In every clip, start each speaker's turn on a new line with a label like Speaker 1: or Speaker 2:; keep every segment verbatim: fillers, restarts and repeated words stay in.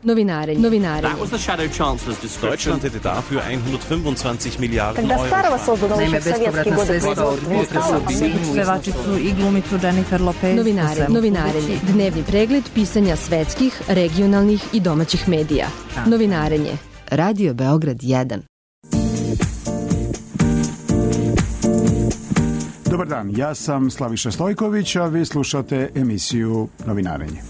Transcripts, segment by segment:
Speaker 1: Novinarenje. Novinarenje.
Speaker 2: Deutschland hätte dafür hundertfünfundzwanzig Miliarden Euro.
Speaker 3: Naime, bespovratna sredstva od potresa bi pevačicu i glumicu Jennifer Lopez.
Speaker 1: Novinarenje. Novinarenje. Dnevni pregled pisanja svetskih, regionalnih i domaćih medija. Novinarenje. Radio Beograd jedan.
Speaker 4: Dobar dan, ja sam Slaviša Stojković, a vi slušate emisiju Novinarenje.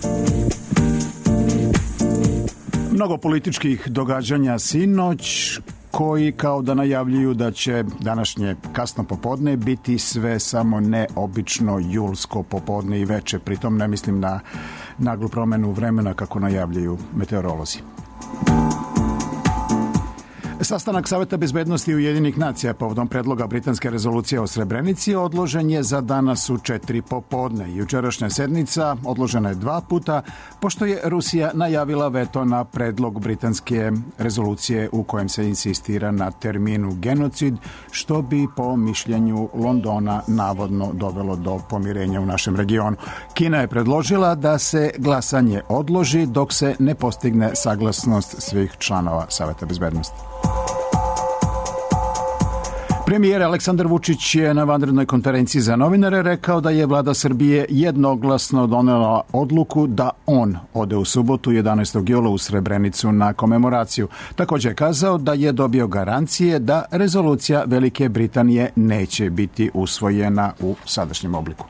Speaker 4: Mnogo političkih događanja sinoć koji kao da najavljuju da će današnje kasno popodne biti sve samo neobično julsko popodne i veče. Pritom ne mislim na naglu promenu vremena kako najavljuju meteorolozi. Sastanak Saveta bezbednosti Ujedinjenih nacija povodom predloga britanske rezolucije o Srebrenici odložen je za danas u četiri popodne. Jučerašnja sednica odložena je dva puta, pošto je Rusija najavila veto na predlog britanske rezolucije u kojem se insistira na terminu genocid, što bi po mišljenju Londona navodno dovelo do pomirenja u našem regionu. Kina je predložila da se glasanje odloži dok se ne postigne saglasnost svih članova Saveta bezbednosti. Premijer Aleksandar Vučić je na vanrednoj konferenciji za novinare rekao da je vlada Srbije jednoglasno donela odluku da on ode u subotu jedanaestog jula u Srebrenicu na komemoraciju. Također je kazao da je dobio garancije da rezolucija Velike Britanije neće biti usvojena u sadašnjem obliku.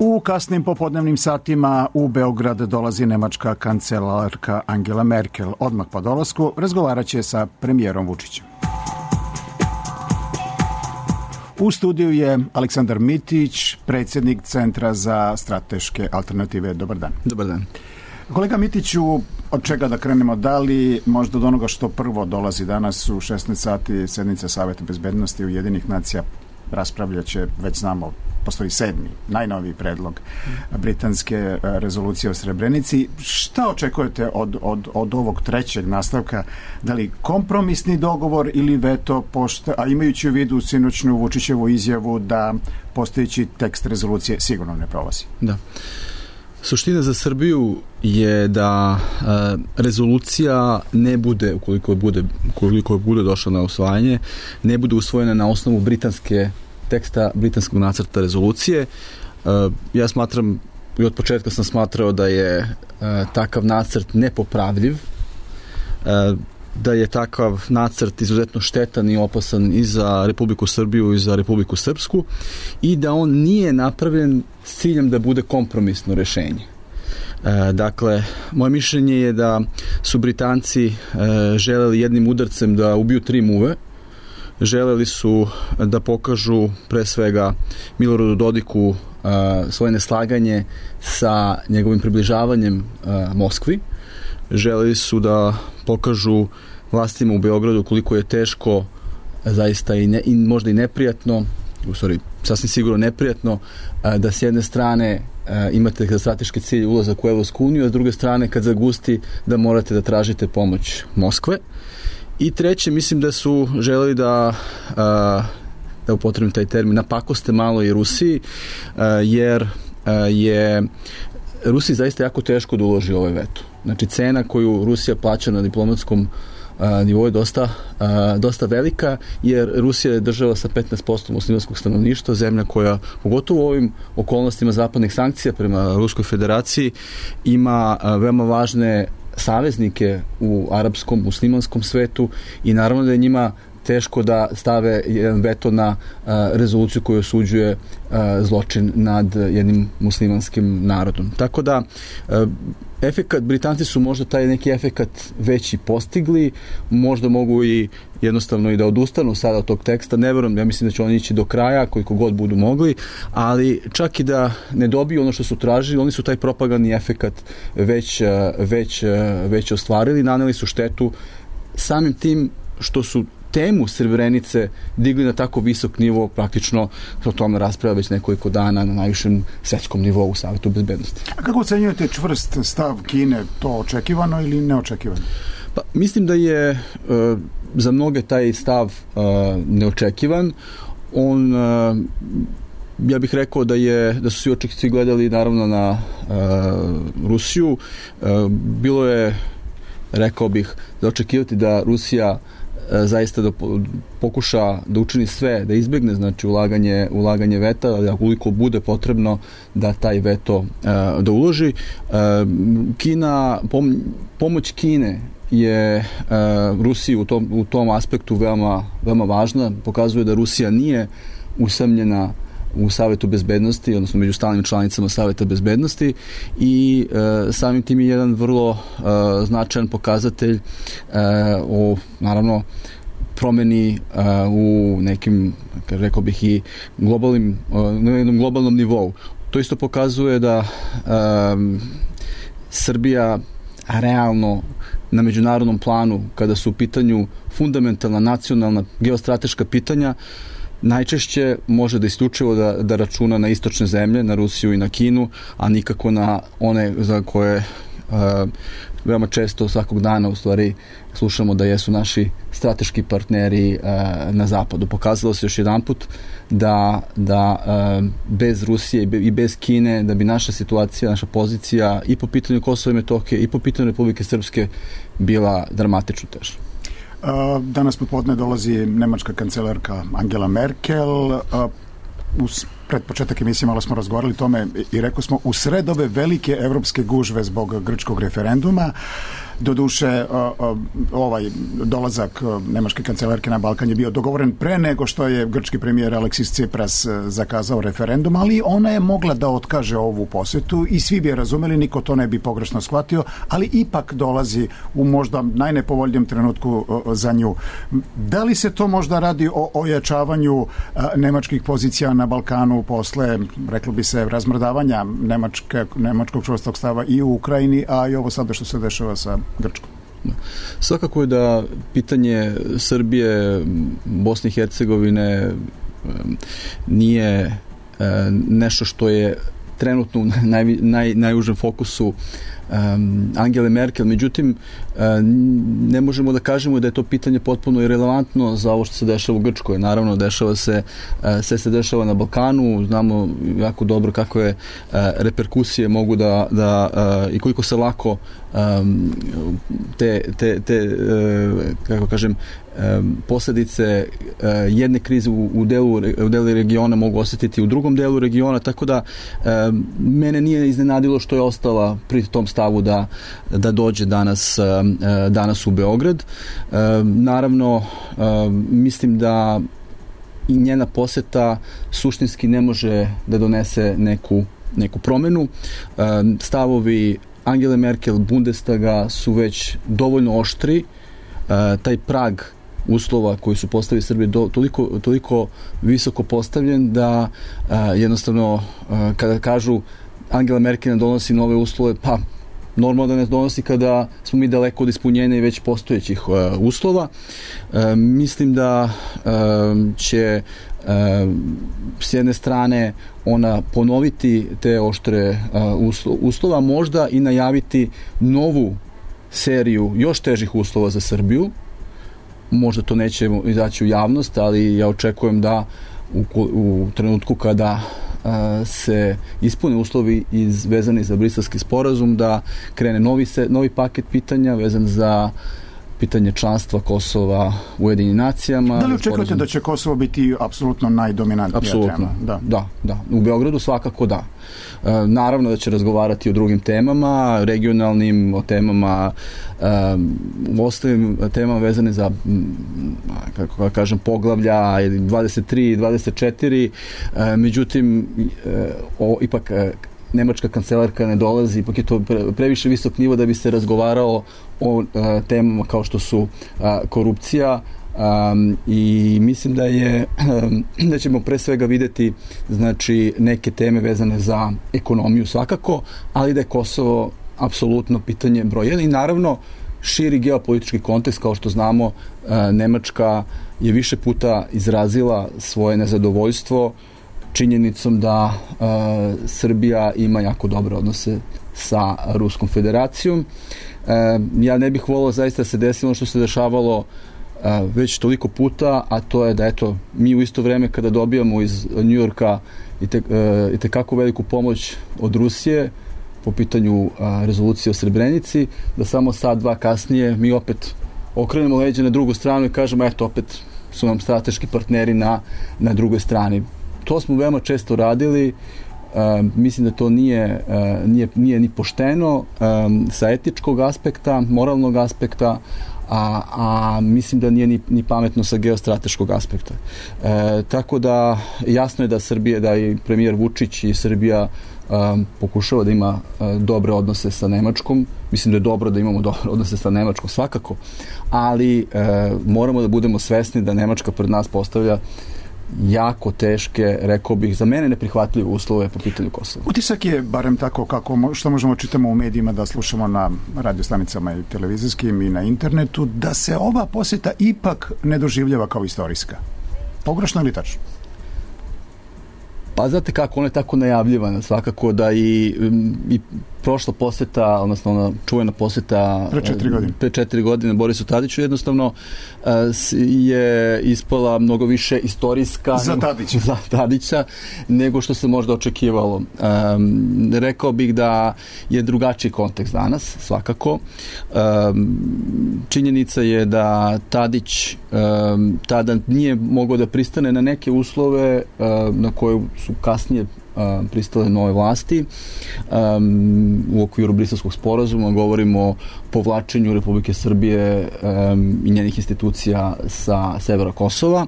Speaker 4: U kasnim popodnevnim satima u Beograd dolazi nemačka kancelarka Angela Merkel. Odmah po dolasku razgovarat će sa premijerom Vučićem. U studiju je Aleksandar Mitić, predsjednik Centra za strateške alternative. Dobar dan.
Speaker 5: Dobar dan.
Speaker 4: Kolega Mitiću, od čega da krenemo? Da li možda od onoga što prvo dolazi danas u šesnaest sati sednica Saveta bezbednosti Ujedinjenih nacija raspravljaće, već znamo, postoji sedmi, najnoviji predlog britanske rezolucije o Srebrenici. Šta očekujete od, od, od ovog trećeg nastavka? Da li kompromisni dogovor ili veto, pošta, a imajući u vidu sinoćnu Vučićevu izjavu da postojeći tekst rezolucije sigurno ne prolazi?
Speaker 5: Da. Suština za Srbiju je da e, rezolucija ne bude, ukoliko bude, ukoliko bude došla na usvajanje, ne bude usvojena na osnovu britanske teksta, britanskog nacrta rezolucije. E, ja smatram, i od početka sam smatrao da je e, takav nacrt nepopravljiv, e, da je takav nacrt izuzetno štetan i opasan i za Republiku Srbiju i za Republiku Srpsku i da on nije napravljen s ciljem da bude kompromisno rešenje. E, dakle, moje mišljenje je da su Britanci e, želeli jednim udarcem da ubiju tri muve. Želeli su da pokažu pre svega Miloradu Dodiku e, svoje neslaganje sa njegovim približavanjem e, Moskvi. Želeli su da pokažu vlastima u Beogradu koliko je teško, zaista i, ne, i možda i neprijatno, u stvari sasvim sigurno neprijatno, da s jedne strane imate za strateški cilj ulazak u Evropsku uniju, a s druge strane kad zagusti da morate da tražite pomoć Moskve. I treće, mislim da su želeli da, da upotrebim taj termin, napakoste malo i Rusiji, jer je Rusiji zaista jako teško da uloži ovaj veto. Znači, cena koju Rusija plaća na diplomatskom a, nivou je dosta, a, dosta velika, jer Rusija je država sa petnaest posto muslimanskog stanovništva, zemlja koja, pogotovo u ovim okolnostima zapadnih sankcija prema Ruskoj federaciji, ima a, veoma važne saveznike u arapskom, muslimanskom svetu i naravno da je njima teško da stave jedan veto na a, rezoluciju koju osuđuje a, zločin nad jednim muslimanskim narodom. Tako da a, efekat, Britanci su možda taj neki efekat već i postigli, možda mogu i jednostavno i da odustanu sada od tog teksta, ne verujem, ja mislim da će oni ići do kraja koliko god budu mogli, ali čak i da ne dobiju ono što su tražili, oni su taj propagandni efekat već, već, već ostvarili, naneli su štetu samim tim što su temu Srebrenice digli na tako visok nivo, praktično o tome raspravlja već nekoliko dana na najvišem svetskom nivou u Savetu bezbednosti.
Speaker 4: A kako ocenjujete čvrst stav Kine, to očekivano ili neočekivano?
Speaker 5: Pa, mislim da je e, za mnoge taj stav e, neočekivan. On e, ja bih rekao da je da su svi očekivci gledali naravno na uh, Rusiju. Uh, bilo je, rekao bih, da očekivati da Rusija zaista da pokuša da učini sve, da izbjegne znači ulaganje, ulaganje veta, da koliko bude potrebno da taj veto uh, da uloži. Uh, Kina, pom, pomoć Kine je uh, Rusiji u tom, u tom aspektu veoma, veoma važna. Pokazuje da Rusija nije usamljena u Savetu bezbednosti, odnosno među stalnim članicama Saveta bezbednosti i e, samim tim je jedan vrlo e, značajan pokazatelj e, o, naravno, promeni e, u nekim, rekao bih, i globalnim, na jednom globalnom nivou. To isto pokazuje da e, Srbija realno na međunarodnom planu, kada su u pitanju fundamentalna, nacionalna, geostrateška pitanja, najčešće može da isključivo da, da računa na istočne zemlje, na Rusiju i na Kinu, a nikako na one za koje uh, veoma često svakog dana u stvari slušamo da jesu naši strateški partneri uh, na zapadu. Pokazalo se još jedanput da, da uh, bez Rusije i bez Kine, da bi naša situacija, naša pozicija i po pitanju Kosova i Metohije i po pitanju Republike Srpske bila dramatično teža.
Speaker 4: Danas popodne dolazi nemačka kancelarka Angela Merkel. Uz pred početak emisije malo smo razgovarali tome i rekao smo u sred ove velike evropske gužve zbog grčkog referenduma. Doduše, ovaj dolazak nemačke kancelarke na Balkan je bio dogovoren pre nego što je grčki premijer Aleksis Tsipras zakazao referendum, ali ona je mogla da otkaže ovu posetu i svi bi je razumeli, niko to ne bi pogrešno shvatio, ali ipak dolazi u možda najnepovoljnijem trenutku za nju. Da li se to možda radi o ojačavanju nemačkih pozicija na Balkanu posle, reklo bi se, razmrdavanja nemačke, nemačkog čvrstog stava i u Ukrajini, a i ovo sada što se dešava sa Grčkom?
Speaker 5: Svakako je da pitanje Srbije, Bosne i Hercegovine nije nešto što je trenutno u naj, naj, najužem fokusu um, Angele Merkel. Međutim, um, ne možemo da kažemo da je to pitanje potpuno irelevantno za ovo što se dešava u Grčkoj. Naravno, dešava se, uh, sve se dešava na Balkanu, znamo jako dobro kakve uh, reperkusije mogu da, da uh, i koliko se lako um, te, te, te uh, kako kažem, Um, posljedice uh, jedne krize u, u, delu, u delu regiona mogu osjetiti u drugom delu regiona, tako da um, mene nije iznenadilo što je ostala pri tom stavu da, da dođe danas, um, danas u Beograd. Um, naravno, um, mislim da i njena posjeta suštinski ne može da donese neku, neku promenu. Um, stavovi Angele Merkel, Bundestaga su već dovoljno oštri. Uh, taj prag uslova koji su postavili Srbije do, toliko, toliko visoko postavljen da a, jednostavno a, kada kažu Angela Merkel ne donosi nove uslove, pa normalno da ne donosi kada smo mi daleko od ispunjenja i već postojećih a, uslova. A, mislim da a, će a, s jedne strane ona ponoviti te oštre a, uslo, uslova, možda i najaviti novu seriju još težih uslova za Srbiju. Možda to neće izaći u javnost, ali ja očekujem da u, u trenutku kada a, se ispune uslovi iz, vezani za Briselski sporazum, da krene novi, se, novi paket pitanja vezan za pitanje članstva Kosova u Ujedinjenim nacijama.
Speaker 4: Da li očekujete da će Kosovo biti apsolutno najdominantnija
Speaker 5: apsolutno.
Speaker 4: tema? Da.
Speaker 5: da, da. U Beogradu svakako da. E, naravno da će razgovarati o drugim temama, regionalnim, o temama, e, u ostalim temama vezane za, kako kažem, poglavlja dvadeset tri i dvadeset četiri. E, međutim, e, o, ipak e, nemačka kancelarka ne dolazi, ipak je to previše visok nivo da bi se razgovarao o uh, temama kao što su uh, korupcija um, i mislim da je um, da ćemo pre svega videti znači neke teme vezane za ekonomiju svakako, ali da je Kosovo apsolutno pitanje broj jedan i naravno širi geopolitički kontekst, kao što znamo uh, Nemačka je više puta izrazila svoje nezadovoljstvo činjenicom da uh, Srbija ima jako dobre odnose sa Ruskom federacijom. Uh, ja ne bih volio zaista da se desilo što se dešavalo uh, već toliko puta, a to je da eto, mi u isto vreme kada dobijamo iz Njujorka i te, i te kako veliku pomoć od Rusije po pitanju rezolucije o Srebrenici, da samo sat, dva kasnije mi opet okrenemo leđe na drugu stranu i kažemo eto, opet su nam strateški partneri na, na drugoj strani. To smo veoma često radili. Uh, mislim da to nije, uh, nije, nije ni pošteno um, sa etičkog aspekta, moralnog aspekta, a, a mislim da nije ni, ni pametno sa geostrateškog aspekta. E, tako da jasno je da Srbija, da i premijer Vučić i Srbija um, pokušava da ima uh, dobre odnose sa Nemačkom. Mislim da je dobro da imamo dobre odnose sa Nemačkom, svakako, ali uh, moramo da budemo svesni da Nemačka pred nas postavlja jako teške, rekao bih, za mene neprihvatljive uslove po pitanju Kosova.
Speaker 4: Utisak je, barem tako kako što možemo čitamo u medijima, da slušamo na radiostanicama i televizijskim i na internetu, da se ova posjeta ipak ne doživljava kao istorijska. Pogrešno ili tačno?
Speaker 5: Pa znate kako, ona je tako najavljivana, svakako da i, i prošla posjeta, odnosno ona čuvena posjeta
Speaker 4: pre četiri godine,
Speaker 5: pre četiri godine Borisu Tadiću jednostavno je ispala mnogo više istorijska
Speaker 4: za Tadića,
Speaker 5: za Tadića nego što se možda očekivalo. Um, rekao bih da je drugačiji kontekst danas, svakako. Um, činjenica je da Tadić um, tada nije mogao da pristane na neke uslove um, na koje su kasnije pristale nove vlasti. Um, u okviru Briselskog sporazuma govorimo o povlačenju Republike Srbije um, i njenih institucija sa severa Kosova.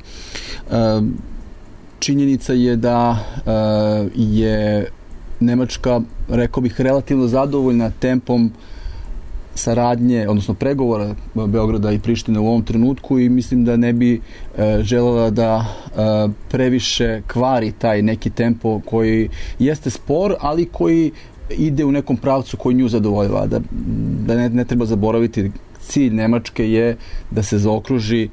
Speaker 5: Um, činjenica je da uh, je Nemačka, rekao bih, relativno zadovoljna tempom saradnje, odnosno pregovora Beograda i Prištine u ovom trenutku i mislim da ne bi e, želela da e, previše kvari taj neki tempo koji jeste spor, ali koji ide u nekom pravcu koji nju zadovoljava. Da, da ne, ne treba zaboraviti, cilj Nemačke je da se zaokruži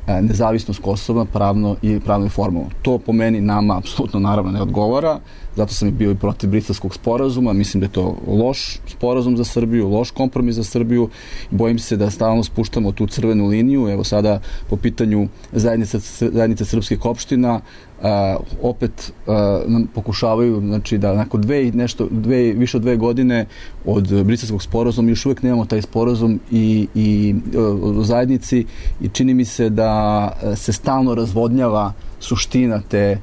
Speaker 5: e, nezavisnost Kosova pravno i pravno i formalno. To po meni nama apsolutno naravno ne odgovara. Zato sam i bio i protiv Briselskog sporazuma. Mislim da je to loš sporazum za Srbiju, loš kompromis za Srbiju. Bojim se da stalno spuštamo tu crvenu liniju. Evo sada po pitanju zajednice, zajednice srpskih opština uh, opet uh, nam pokušavaju, znači da nakon dve, nešto, dve, više od dve godine od Briselskog sporazuma još uvijek nemamo taj sporazum i, i uh, u zajednici i čini mi se da se stalno razvodnjava suština te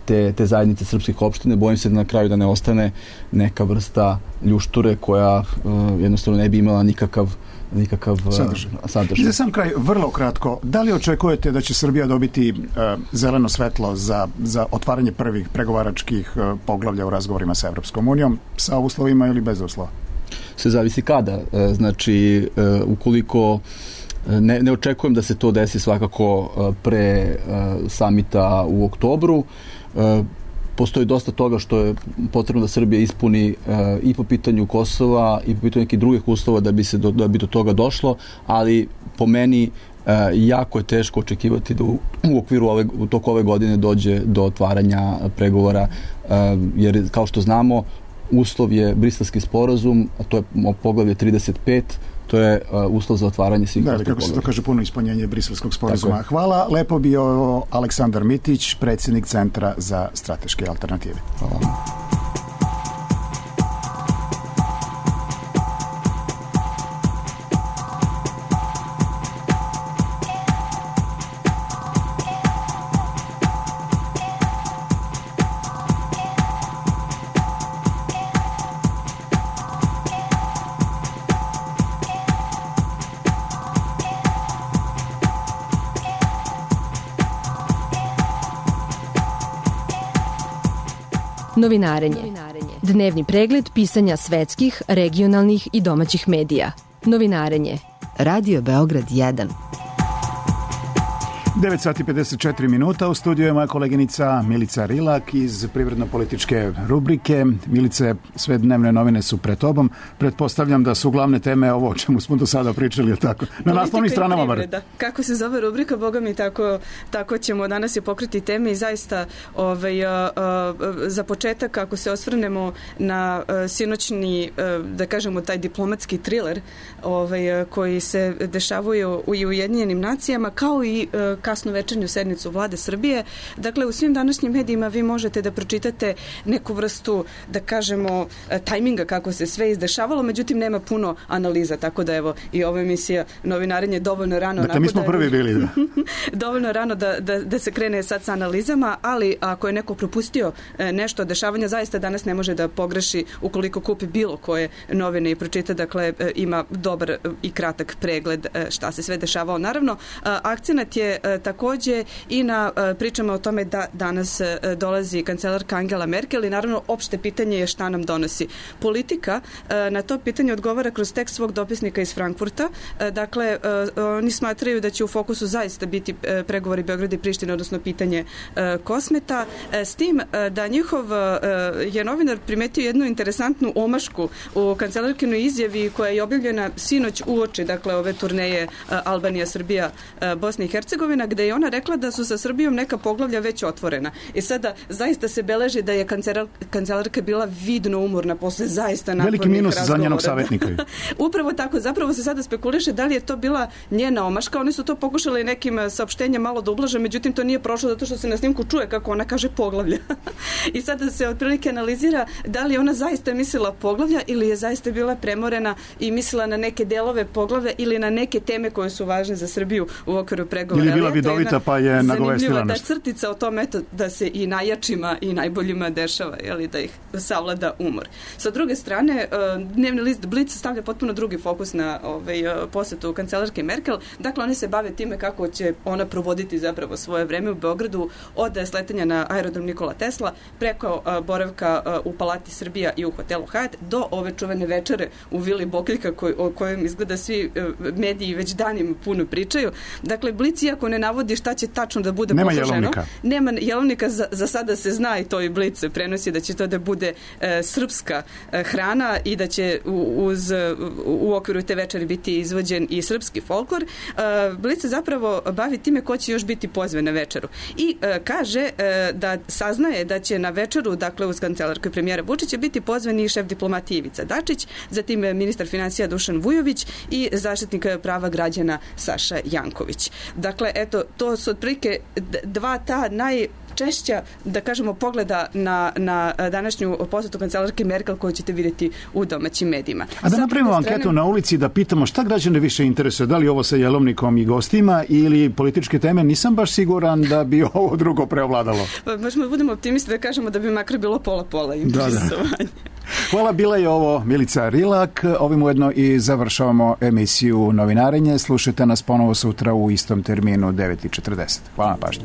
Speaker 5: Te, te zajednice srpskih opština. Bojim se da na kraju da ne ostane neka vrsta ljušture koja uh, jednostavno ne bi imala nikakav, nikakav uh, sadržaj. sadržaj.
Speaker 4: I za sam kraj, vrlo kratko, da li očekujete da će Srbija dobiti uh, zeleno svetlo za, za otvaranje prvih pregovaračkih uh, poglavlja u razgovorima sa Evropskom unijom, sa uslovima ili bez uslova?
Speaker 5: Sve zavisi kada. Uh, znači, uh, ukoliko Ne, ne očekujem da se to desi svakako pre uh, samita u oktobru. Uh, postoji dosta toga što je potrebno da Srbija ispuni uh, i po pitanju Kosova i po pitanju nekih drugih uslova da bi se do, da bi do toga došlo, ali po meni uh, jako je teško očekivati da u, u okviru ove, u toku ove godine dođe do otvaranja pregovora, uh, jer kao što znamo uslov je Briselski sporazum, a to je poglavlje trideset pet. To je uh, uslov za otvaranje svih.
Speaker 4: Da, ali kako se to kaže, puno ispunjenje Briselskog sporazuma. Hvala, lepo bio Aleksandar Mitić, predsjednik Centra za strateške alternative. Hvala.
Speaker 1: Novinarenje. Dnevni pregled pisanja svetskih, regionalnih i domaćih medija. Novinarenje. Radio Beograd jedan.
Speaker 4: devet sati pedeset četiri minuta, u studiju je moja koleginica Milica Rilak iz privredno-političke rubrike. Milice, sve dnevne novine su pred tobom. Pretpostavljam da su glavne teme ovo o čemu smo do sada pričali, ili tako? Na naslovnim stranama bar.
Speaker 6: Kako se zove rubrika, boga mi, tako, tako ćemo danas je pokriti teme i zaista ovaj, a, a, za početak, ako se osvrnemo na a, sinoćni, a, da kažemo, taj diplomatski thriller ovaj, a, koji se dešavaju u Ujedinjenim nacijama, kao i a, kasno večernju sednicu Vlade Srbije. Dakle, u svim današnjim medijima vi možete da pročitate neku vrstu, da kažemo, tajminga kako se sve izdešavalo, međutim nema puno analiza, tako da evo i ova emisija Novinarenje dovoljno rano.
Speaker 4: Dakle, mi smo
Speaker 6: da,
Speaker 4: prvi bili. Da.
Speaker 6: dovoljno rano da, da, da se krene sad sa analizama, ali ako je neko propustio nešto od dešavanja, zaista danas ne može da pogreši ukoliko kupi bilo koje novine i pročita, dakle ima dobar i kratak pregled šta se sve dešavalo. Naravno, akcenat je takođe i na pričama o tome da danas dolazi kancelarka Angela Merkel i naravno opšte pitanje je šta nam donosi politika. Na to pitanje odgovara kroz tekst svog dopisnika iz Frankfurta. Dakle, oni smatraju da će u fokusu zaista biti pregovori Beograda i Prištine, odnosno pitanje Kosmeta, s tim da njihov je novinar primetio jednu interesantnu omašku u kancelarkinoj izjavi koja je objavljena sinoć uoči, dakle, ove turneje Albanija, Srbija, Bosna i Hercegovina, gde je ona rekla da su sa Srbijom neka poglavlja već otvorena. I sada zaista se beleži da je kancelar, kancelarka bila vidno umorna posle zaista napornih
Speaker 4: veliki minus
Speaker 6: razgovora.
Speaker 4: Za njenog savjetnika.
Speaker 6: Upravo tako, zapravo se sada spekuliše da li je to bila njena omaška. Oni su to pokušali nekim saopštenjem malo da ublaže, međutim to nije prošlo zato što se na snimku čuje kako ona kaže poglavlja. I sada se otprilike analizira da li ona zaista mislila poglavlja ili je zaista bila premorena i mislila na neke delove poglavlja ili na neke teme koje su važne za Srbiju u okviru pregovora.
Speaker 4: Ili je bila vidovita pa je nagovestila nešto.
Speaker 6: Da crtica o tom, eto, da se i najjačima i najboljima dešava, jeli, da ih savlada umor. Sa druge strane, dnevni list Blic stavlja potpuno drugi fokus na ovaj, posetu kancelarke Merkel. Dakle, oni se bave time kako će ona provoditi zapravo svoje vreme u Beogradu od sletanja na aerodrom Nikola Tesla preko boravka u Palati Srbija i u hotelu Hyatt do ove čuvene večere u Vili Bokeljka koj, o kojem izgleda svi mediji već danima puno pričaju. Dakle, Blic, iako ne navodi šta će tačno da bude
Speaker 4: nema
Speaker 6: posluženo,
Speaker 4: jelovnika.
Speaker 6: Nema jelovnika, za, za sada se zna i to i Blic prenosi da će to da bude e, srpska e, hrana i da će u, uz, u, u okviru te večeri biti izvođen i srpski folklor. E, Blic se zapravo bavi time ko će još biti pozvan na večeru. I e, kaže e, da saznaje da će na večeru, dakle uz kancelarku i premijera Vučića, biti pozvan i šef diplomatije Ivica Dačić, zatim ministar financija Dušan Vujović i zaštitnik prava građana Saša Janković. Dakle, eto, to su otprilike dva ta naj češća, da kažemo, pogleda na, na današnju posetu kancelarke Merkel koju ćete vidjeti u domaćim medijima.
Speaker 4: A da napravimo strane... anketu na ulici da pitamo šta građane više interesuje, da li ovo sa jelovnikom i gostima ili političke teme, nisam baš siguran da bi ovo drugo preovladalo.
Speaker 6: Pa možemo da budemo optimisti da kažemo da bi makar bilo pola-pola interesovanje. Da, da.
Speaker 4: Hvala, bila je ovo Milica Rilak. Ovim ujedno i završavamo emisiju Novinarenje. Slušajte nas ponovo sutra u istom terminu devet i četrdeset. Hvala na pažnju.